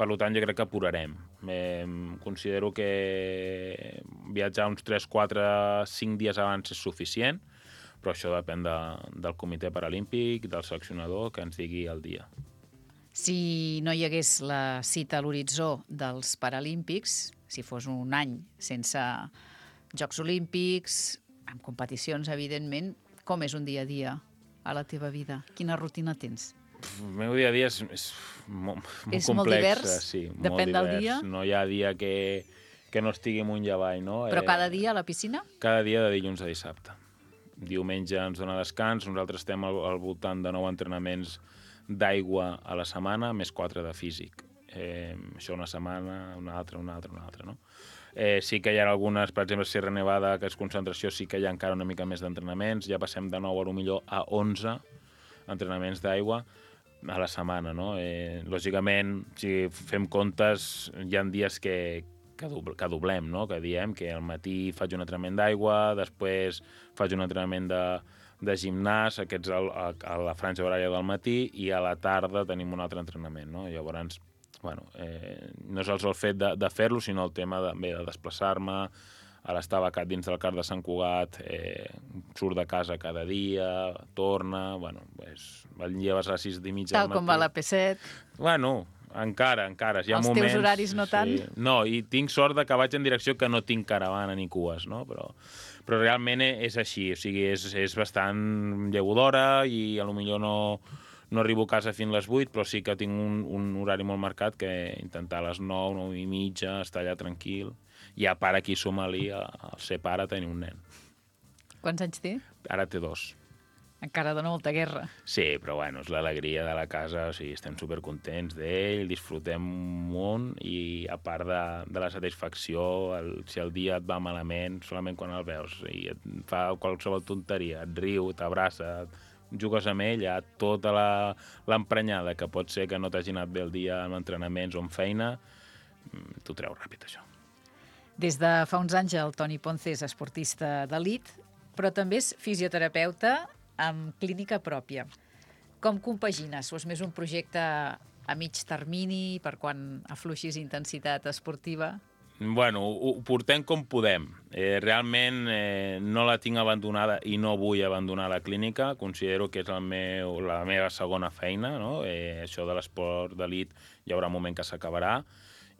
S13: Per tant, jo crec que apurarem. Eh, considero que viatjar uns tres, quatre, cinc dies abans és suficient, però això depèn de, del comitè paralímpic, del seleccionador, que ens digui el dia.
S1: Si no hi hagués la cita a l'horitzó dels Paralímpics, si fos un any sense Jocs Olímpics, amb competicions, evidentment, com és un dia a dia a la teva vida? Quina rutina tens?
S13: El meu dia a dia és, és molt, molt
S1: és
S13: complex.
S1: Molt divers?
S13: Sí,
S1: Depèn
S13: molt divers.
S1: del dia?
S13: No hi ha dia que, que no estigui amunt i avall, no?
S1: Però cada dia a la piscina?
S13: Cada dia de dilluns a dissabte. Diumenge ens dona descans, nosaltres estem al, al voltant de nou entrenaments d'aigua a la setmana, més quatre de físic. Eh, això una setmana, una altra, una altra, una altra, no? Eh, sí que hi ha algunes, per exemple, Sierra Nevada, que és concentració, sí que hi ha encara una mica més d'entrenaments, ja passem de nou a millor a onze entrenaments d'aigua a la setmana, no? Eh, lògicament, si fem comptes, hi ha dies que, que, doble, que doblem, no? Que diem que al matí faig un entrenament d'aigua, després faig un entrenament de, de gimnàs, aquests a, a, a la franja horària del matí, i a la tarda tenim un altre entrenament, no? Llavors, bueno, eh, no és el fet de, de fer-lo, sinó el tema de, bé, de desplaçar-me. Ara està becat dins del CAR de Sant Cugat, eh, surt de casa cada dia, torna, bueno, pues, el lleves a les sis i mitja
S1: Tal com va la P set.
S13: Bueno, encara, encara. Hi ha
S1: Els
S13: moments,
S1: teus horaris no tant?
S13: Sí. No, i tinc sort de que vaig en direcció que no tinc caravana ni cues, no? Però, però realment és així, o sigui, és, és bastant llevo d'hora i potser no, no arribo a casa fins a les vuit, però sí que tinc un, un horari molt marcat que intentar a les nou, nou i mitja, estar allà tranquil. I a part aquí suma-li, al ser pare, tenir un nen.
S1: Quants anys té?
S13: Ara té dos.
S1: Encara dona molta guerra.
S13: Sí, però bueno, és l'alegria de la casa, o sigui, estem supercontents d'ell, disfrutem un munt i a part de, de la satisfacció, el, si el dia et va malament, solament quan el veus i et fa qualsevol tonteria, et riu, t'abraça, jugues amb ell, hi ha tota l'emprenyada que pot ser que no t'hagi anat bé el dia en entrenaments o en feina, t'ho treu ràpid, això.
S1: Des de fa uns anys el Toni Ponce és esportista d'elit, però també és fisioterapeuta amb clínica pròpia. Com compagines? O és més un projecte a mig termini per quan afluixis intensitat esportiva?
S13: Bueno, ho portem com podem. Eh, realment eh, no la tinc abandonada i no vull abandonar la clínica. Considero que és el meu, la meva segona feina, no? Eh, això de l'esport d'elit hi haurà un moment que s'acabarà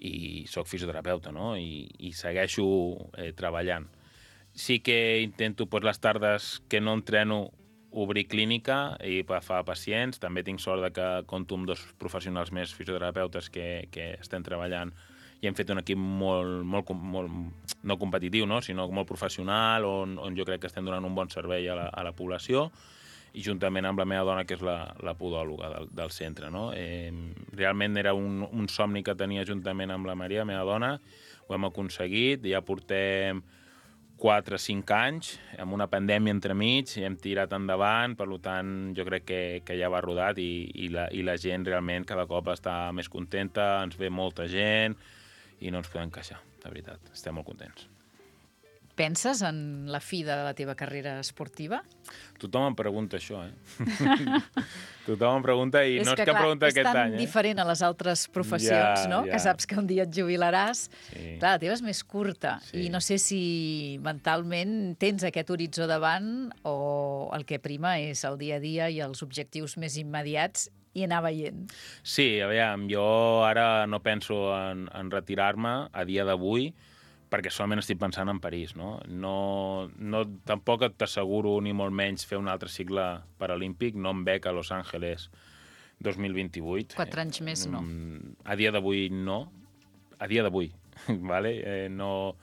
S13: i soc fisioterapeuta, no? I, i segueixo eh, treballant. Sí que intento, pues, les tardes que no entreno, obrir clínica i agafar pacients. També tinc sort de que compto amb dos professionals més fisioterapeutes que, que estem treballant i hem fet un equip molt, molt, molt no competitiu, no? Sinó molt professional, on, on jo crec que estem donant un bon servei a la, a la població, i juntament amb la meva dona, que és la, la podòloga del, del centre, no? Eh, realment era un, un somni que tenia juntament amb la Maria, la meva dona, ho hem aconseguit, ja portem quatre o cinc anys, amb una pandèmia entremig, i hem tirat endavant, per tant, jo crec que, que ja va rodat i, i, la, i la gent realment cada cop està més contenta, ens ve molta gent i no ens podem queixar, de veritat, estem molt contents.
S1: Penses en la fi de la teva carrera esportiva?
S13: Tothom em pregunta això, eh? Tothom em pregunta i
S1: és
S13: no és
S1: que,
S13: que
S1: clar,
S13: pregunta aquest any, eh?
S1: És tan diferent a les altres professions,
S13: ja,
S1: no?
S13: Ja.
S1: Que saps que un dia et jubilaràs.
S13: Sí.
S1: Clar, la teva és més curta
S13: Sí.
S1: i no sé si mentalment tens aquest horitzó davant o el que prima és el dia a dia i els objectius més immediats i anar veient.
S13: Sí, aviam, jo ara no penso en, en retirar-me a dia d'avui, perquè solament estic pensant en París, no? No, no tampoc t'asseguro ni molt menys fer un altre cicle paralímpic, no em veig a Los Angeles dos mil vint-i-vuit.
S1: Quatre anys més, no.
S13: A dia d'avui, no. A dia d'avui, vale? Eh, no,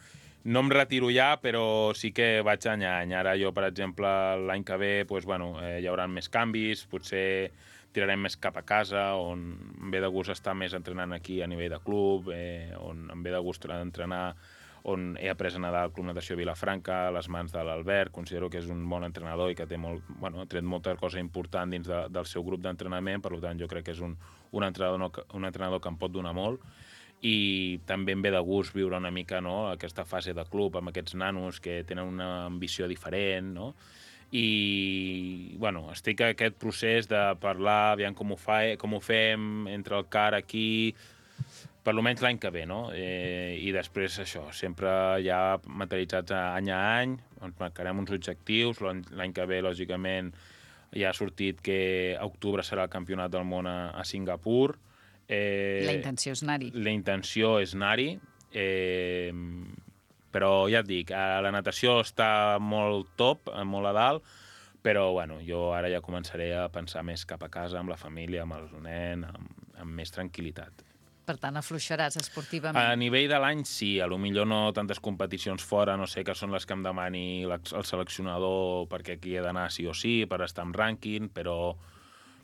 S13: no em retiro ja, però sí que vaig any a any. Ara jo, per exemple, l'any que ve, doncs, bueno, eh, hi haurà més canvis, potser tirarem més cap a casa, on em ve de gust estar més entrenant aquí a nivell de club, eh, on em ve de gust entrenar, on he après a nedar al Club Natació Vilafranca, a les mans de l'Albert. Considero que és un bon entrenador i que té molt, bueno, ha tret molta cosa important dins de, del seu grup d'entrenament, per tant, jo crec que és un, un, entrenador, un entrenador que em pot donar molt. I també em ve de gust viure una mica, no, aquesta fase de club amb aquests nanos que tenen una ambició diferent, no? I, bueno, estic en aquest procés de parlar, aviam com ho, fa, com ho fem entre el C A R aquí, per almenys l'any que ve, no? Eh, I després això, sempre ja materialitzats any a any, ens marcarem uns objectius, l'any que ve, lògicament, ja ha sortit que a octubre serà el Campionat del Món a, a Singapur.
S1: Eh, la intenció és anar-hi.
S13: La intenció és anar-hi, eh, però ja et dic, la natació està molt top, molt a dalt, però bueno, jo ara ja començaré a pensar més cap a casa, amb la família, amb el nen, amb, amb més tranquil·litat.
S1: Per tant, afluixaràs esportivament.
S13: A nivell de l'any, sí. A lo millor no tantes competicions fora, no sé, que són les que em demani el seleccionador perquè aquí he d'anar sí o sí, per estar en rànquing, però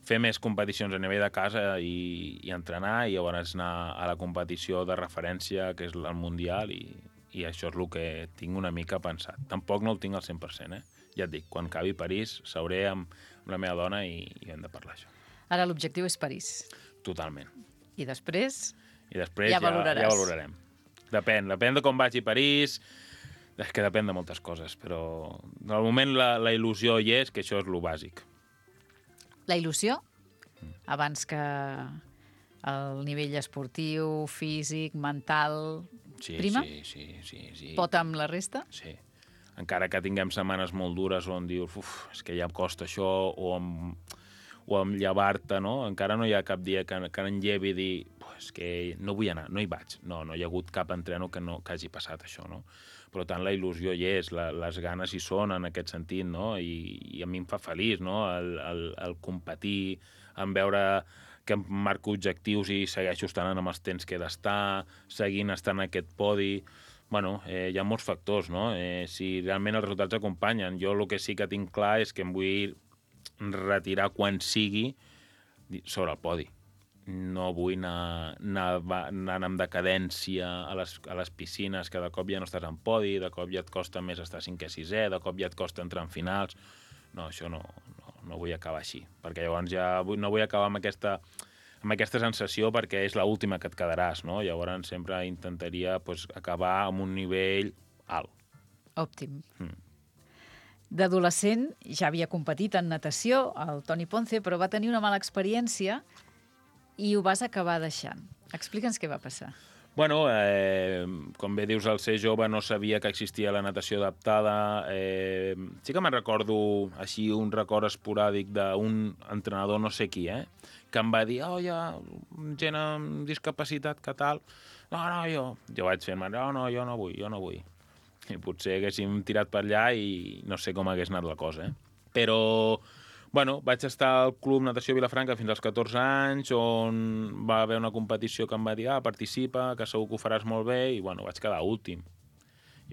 S13: fer més competicions a nivell de casa i, i entrenar, i llavors anar a la competició de referència, que és el Mundial, i, i això és el que tinc una mica pensat. Tampoc no el tinc al cent per cent, eh? Ja et dic, quan acabi París, seuré amb, amb la meva dona i, i hem de parlar això.
S1: Ara l'objectiu és París. Totalment. I després?
S13: I després
S1: ja,
S13: ja,
S1: valoraràs.
S13: ja valorarem. Depèn, depèn de com vagi a París, és que depèn de moltes coses, però al moment la, la il·lusió hi és, que això és lo bàsic.
S1: La il·lusió? Abans que el nivell esportiu, físic, mental,
S13: sí,
S1: prima?
S13: Sí, sí, sí, sí.
S1: Pot amb la resta?
S13: Sí. Encara que tinguem setmanes molt dures on dius, uf, és que ja em costa això, o amb, o amb llevar-te, no? Encara no hi ha cap dia que, que em llevi i dir, pues que no vull anar, no hi vaig. No, no hi ha hagut cap entreno que, no, que hagi passat això, no? Per tant, la il·lusió hi és, la, les ganes hi són en aquest sentit, no? I, i a mi em fa feliç, no? El, el, el competir, en veure que em marco objectius i segueixo estant amb els temps que he d'estar, seguint estant en aquest podi. Bueno, eh, hi ha molts factors, no? Eh, si realment els resultats acompanyen. Jo el que sí que tinc clar és que em vull retirar quan sigui sobre el podi. No vull anar, anar, anar amb decadència a les, a les piscines, que de cop ja no estàs en podi, de cop ja et costa més estar cinquè, sisè, de cop ja et costa entrar en finals. No, això no, no, no vull acabar així, perquè llavors ja vull, no vull acabar amb aquesta, amb aquesta sensació perquè és l'última que et quedaràs, no? Llavors sempre intentaria pues, acabar amb un nivell alt.
S1: Òptim. Mm. D'adolescent ja havia competit en natació, el Toni Ponce, però va tenir una mala experiència i ho vas acabar deixant. Explica'ns què va passar.
S13: Bueno, eh, com bé dius, al ser jove no sabia que existia la natació adaptada. Eh, sí que me'n recordo així un record esporàdic d'un entrenador no sé qui, eh, que em va dir, oh, hi ha gent amb discapacitat, que tal? No, no, jo. Jo vaig fer-me, no, no, jo no vull, jo no vull. I potser haguéssim tirat per allà i no sé com hagués anat la cosa, eh? Però, bueno, vaig estar al Club Natació Vilafranca fins als catorze anys, on va haver una competició que em va dir, ah, participa, que segur que ho faràs molt bé, i, bueno, vaig quedar últim.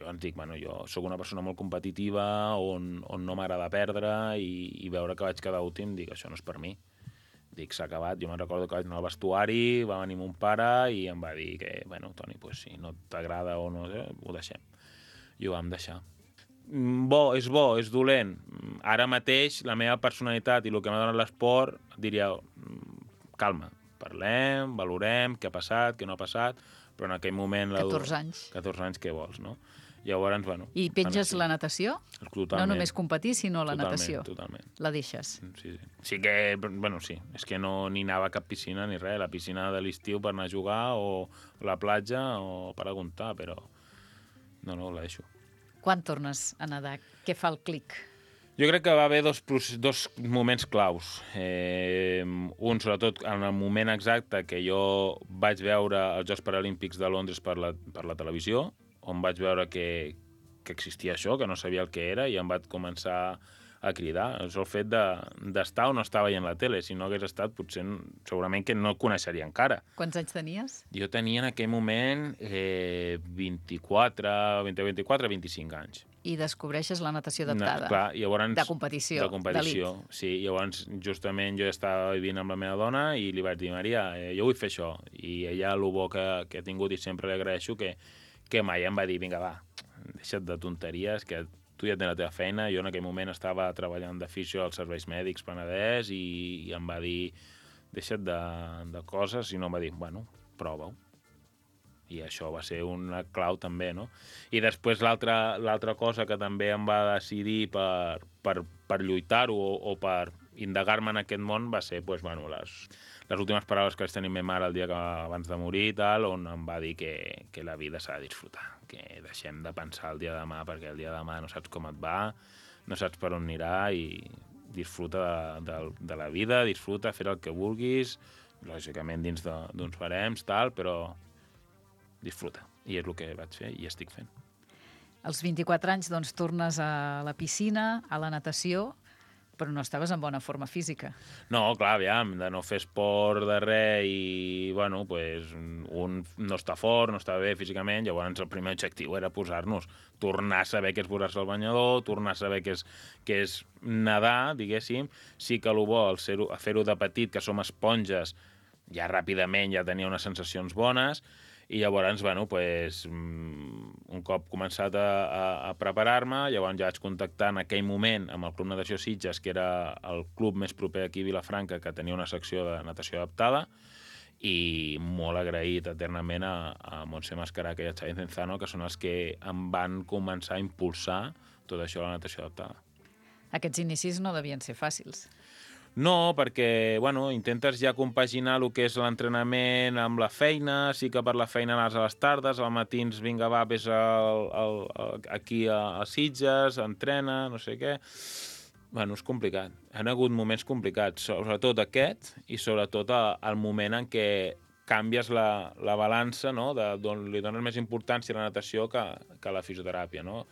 S13: Llavors dic, bueno, jo sóc una persona molt competitiva, on, on no m'agrada perdre, i, i veure que vaig quedar últim, dic, això no és per mi. Dic, s'ha acabat. Jo me'n recordo que vaig anar al vestuari, va venir mon pare i em va dir que, bueno, Toni, pues, si no t'agrada o no, eh, ho deixem. I ho vam deixar. Bo, és bo, és dolent. Ara mateix, la meva personalitat i el que m'ha donat l'esport, diria, calma, parlem, valorem què ha passat, què no ha passat, però en aquell moment...
S1: catorze anys.
S13: catorze anys, què vols, no? Llavors, bueno...
S1: I penges la natació?
S13: Totalment.
S1: No només competir, sinó la
S13: totalment,
S1: natació.
S13: Totalment.
S1: La deixes?
S13: Sí, sí. Sí que, bueno, sí, és que no ni anava a cap piscina ni res, la piscina de l'estiu per anar a jugar o la platja o per aguntar, però no, no, la deixo.
S1: Quan tornes a nedar? Què fa el clic?
S13: Jo crec que va haver dos, dos moments claus. Eh, un, sobretot, en el moment exacte que jo vaig veure els Jocs Paralímpics de Londres per la, per la televisió, on vaig veure que, que existia això, que no sabia el que era, i em vaig començar a cridar. És el fet d'estar de, o no estar veient la tele. Si no hagués estat, potser segurament que no el coneixeria encara.
S1: Quants anys tenies?
S13: Jo tenia en aquell moment eh, vint-i-quatre, vint-i-quatre, vint-i-cinc anys.
S1: I descobreixes la natació adaptada.
S13: No, clar, llavors,
S1: de competició,
S13: de competició, sí. Llavors, justament, jo estava vivint amb la meva dona i li vaig dir, Maria, eh, jo vull fer això. I ella, el bo que, que ha tingut, i sempre li agraeixo, que, que mai em va dir, vinga, va, deixa't de tonteries, que tu ja tens la teva feina. Jo en aquell moment estava treballant de fisio als serveis mèdics Penedès i, i em va dir, deixa't de, de coses, i no em va dir, bueno, prova-ho. I això va ser una clau també, no? I després l'altra cosa que també em va decidir per, per, per lluitar-ho o, o per indagar-me en aquest món va ser pues, bueno, les, les últimes paraules que vaig tenir amb ma mare el dia que, abans de morir i tal, on em va dir que, que la vida s'ha de disfrutar, que deixem de pensar el dia de demà perquè el dia de demà no saps com et va, no saps per on anirà i disfruta de, de, de la vida, disfruta, fer el que vulguis, lògicament dins d'uns barems, tal, però disfruta. I és el que vaig fer i estic fent.
S1: Als vint-i-quatre anys doncs, tornes a la piscina, a la natació, però no estaves en bona forma física.
S13: No, clar, aviam, de no fer esport de res i, bueno, pues, un no està fort, no està bé físicament, llavors el primer objectiu era posar-nos, tornar a saber què és posar-se al banyador, tornar a saber què és, què és nedar, diguéssim. Sí que el bo, el fer-ho fer de petit, que som esponges, ja ràpidament ja tenia unes sensacions bones, i llavors, bueno, pues, un cop començat a, a, a preparar-me, llavors ja vaig contactar en aquell moment amb el Club Natació Sitges, que era el club més proper aquí a Vilafranca, que tenia una secció de natació adaptada, i molt agraït eternament a, a Montse Mascaraca i a Xavi Cenzano, que són els que em van començar a impulsar tot això de la natació adaptada.
S1: Aquests inicis no devien ser fàcils.
S13: No, perquè, bueno, intentes ja compaginar el que és l'entrenament amb la feina, sí que per la feina anaves a les tardes, al matins, vinga, va, vés al, al, aquí a, a Sitges, entrena, no sé què. Bueno, és complicat. Han hagut moments complicats, sobretot aquest, i sobretot el moment en què canvies la, la balança, no?, de, d'on li dones més importància a la natació que, que a la fisioteràpia, no?,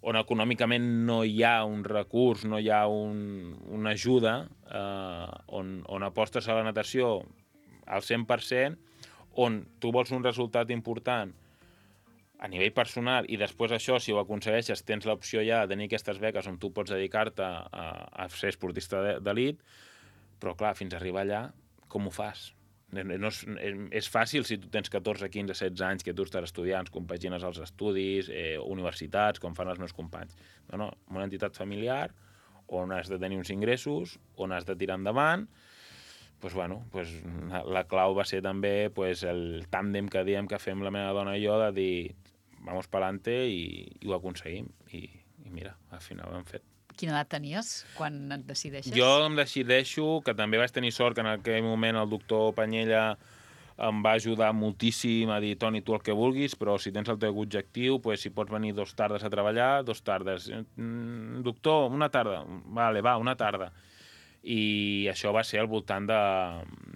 S13: on econòmicament no hi ha un recurs, no hi ha un, una ajuda, eh, on, on apostes a la natació al cent per cent, on tu vols un resultat important a nivell personal i després això, si ho aconsegueixes, tens l'opció ja de tenir aquestes beques on tu pots dedicar-te a, a ser esportista d'elit, però clar, fins a arribar allà, com ho fas? No és, és fàcil si tu tens catorze, quinze, setze anys que tu estàs estudiant, compagines els estudis, eh, universitats, com fan els meus companys. No, no, una entitat familiar on has de tenir uns ingressos, on has de tirar endavant. Pues, bueno, pues, la clau va ser també pues, el tàndem que diem que fem la meva dona i jo de dir vamos pa'lante i, i ho aconseguim. I, I mira, al final ho hem fet.
S1: Quina edat tenies quan et decideixes?
S13: Jo em decideixo, que també vaig tenir sort que en aquell moment el doctor Panyella em va ajudar moltíssim a dir, Toni, tu el que vulguis, però si tens el teu objectiu, pues, si pots venir dos tardes a treballar, dos tardes. Mm, doctor, una tarda. Vale, va, una tarda. I això va ser al voltant de...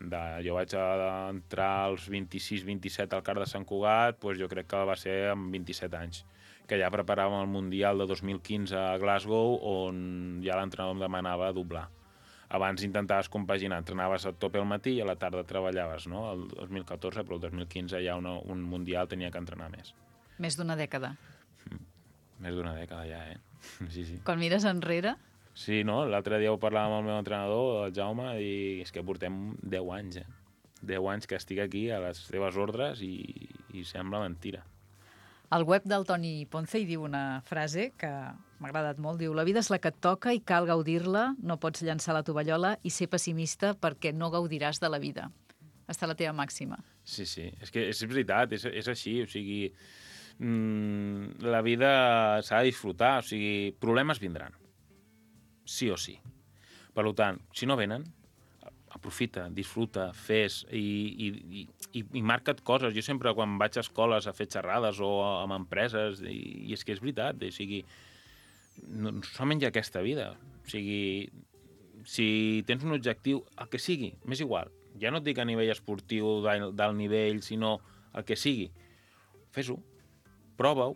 S13: de jo vaig entrar als vint-i-sis vint-i-set al Car de Sant Cugat, pues jo crec que va ser amb vint-i-set anys, que ja preparàvem el Mundial de dos mil quinze a Glasgow, on ja l'entrenador em demanava doblar. Abans intentaves compaginar, entrenaves a tope al matí i a la tarda treballaves, no? El dos mil catorze, però el dos mil quinze ja una, un Mundial tenia que entrenar més.
S1: Més d'una dècada.
S13: Mm. Més d'una dècada ja, eh? Sí, sí.
S1: Quan mires enrere...
S13: Sí, no? L'altre dia ho parlàvem amb el meu entrenador, el Jaume, i és que portem deu anys, eh? deu anys que estic aquí a les teves ordres i, i sembla mentira.
S1: Al web del Toni Ponce hi diu una frase que m'ha agradat molt. Diu, la vida és la que et toca i cal gaudir-la, no pots llançar la tovallola i ser pessimista perquè no gaudiràs de la vida. Està la teva màxima.
S13: Sí, sí, és que és veritat, és, és així, o sigui, mmm, la vida s'ha de disfrutar, o sigui, problemes vindran, sí o sí. Per tant, si no venen, aprofita, disfruta, fes i, i, i, i marca't coses. Jo sempre quan vaig a escoles a fer xerrades o amb empreses, i, i és que és veritat, o sigui, no, solament hi ha aquesta vida. O sigui, si tens un objectiu, el que sigui, m'és igual. Ja no et dic a nivell esportiu d'alt nivell, sinó el que sigui. Fes-ho. prova-ho.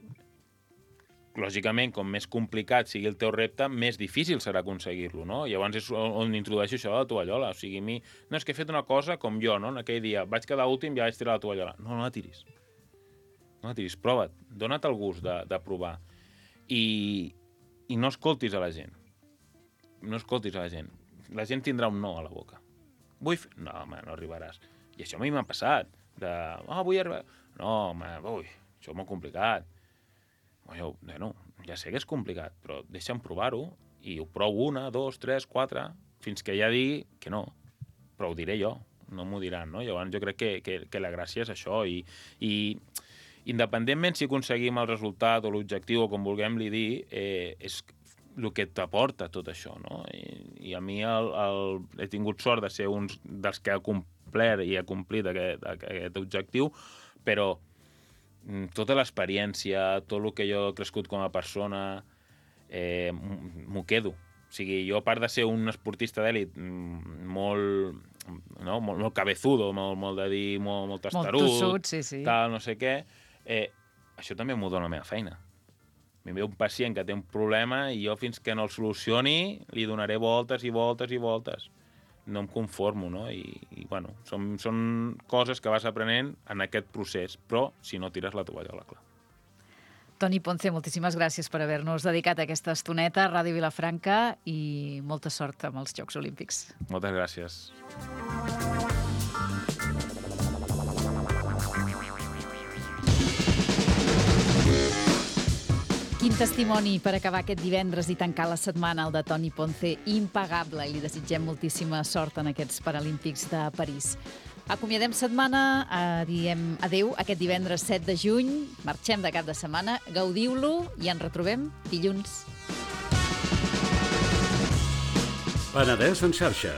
S13: Lògicament, com més complicat sigui el teu repte, més difícil serà aconseguir-lo, no? Llavors és on introdueixo això de la tovallola. O sigui, a mi, no, és que he fet una cosa com jo, no? En aquell dia vaig quedar últim i ja vaig tirar la tovallola. No, no la tiris. No la tiris, prova't. Dona't el gust de, de provar. I, I no escoltis a la gent. No escoltis a la gent. La gent tindrà un no a la boca. Vull fer... No, home, no arribaràs. I això a mi m'ha passat. De, oh, vull arribar... No, home, ui, això és molt complicat. Jo, bueno, ja sé que és complicat, però deixa'm provar-ho i ho provo una, dos, tres, quatre, fins que ja digui que no. Però ho diré jo, no m'ho diran, no? Llavors jo crec que, que, que la gràcia és això i, i independentment si aconseguim el resultat o l'objectiu o com vulguem li dir, eh, és el que t'aporta tot això, no? I, i a mi el, el, he tingut sort de ser un dels que ha complert i ha complit aquest, aquest objectiu, però tota l'experiència, tot el que jo he crescut com a persona, eh, m'ho quedo. O sigui, jo, a part de ser un esportista d'èlit molt, no, molt, molt cabezudo, molt, molt de dir, molt, molt tastarut,
S1: molt tossut, sí, sí.
S13: Tal, no sé què, eh, això també m'ho dona la meva feina. M'hi ve un pacient que té un problema i jo fins que no el solucioni li donaré voltes i voltes i voltes. No em conformo, no? I, i bueno, són, són coses que vas aprenent en aquest procés, però si no tires la tovallola, clar.
S1: Toni Ponce, moltíssimes gràcies per haver-nos dedicat a aquesta estoneta a Ràdio Vilafranca i molta sort amb els Jocs Olímpics.
S13: Moltes gràcies.
S1: Quin testimoni per acabar aquest divendres i tancar la setmana, el de Toni Ponce, impagable, i li desitgem moltíssima sort en aquests Paralímpics de París. Acomiadem setmana, eh, diem adeu aquest divendres set de juny, marxem de cap de setmana, gaudiu-lo i ens retrobem dilluns.
S11: Penedès en xarxa.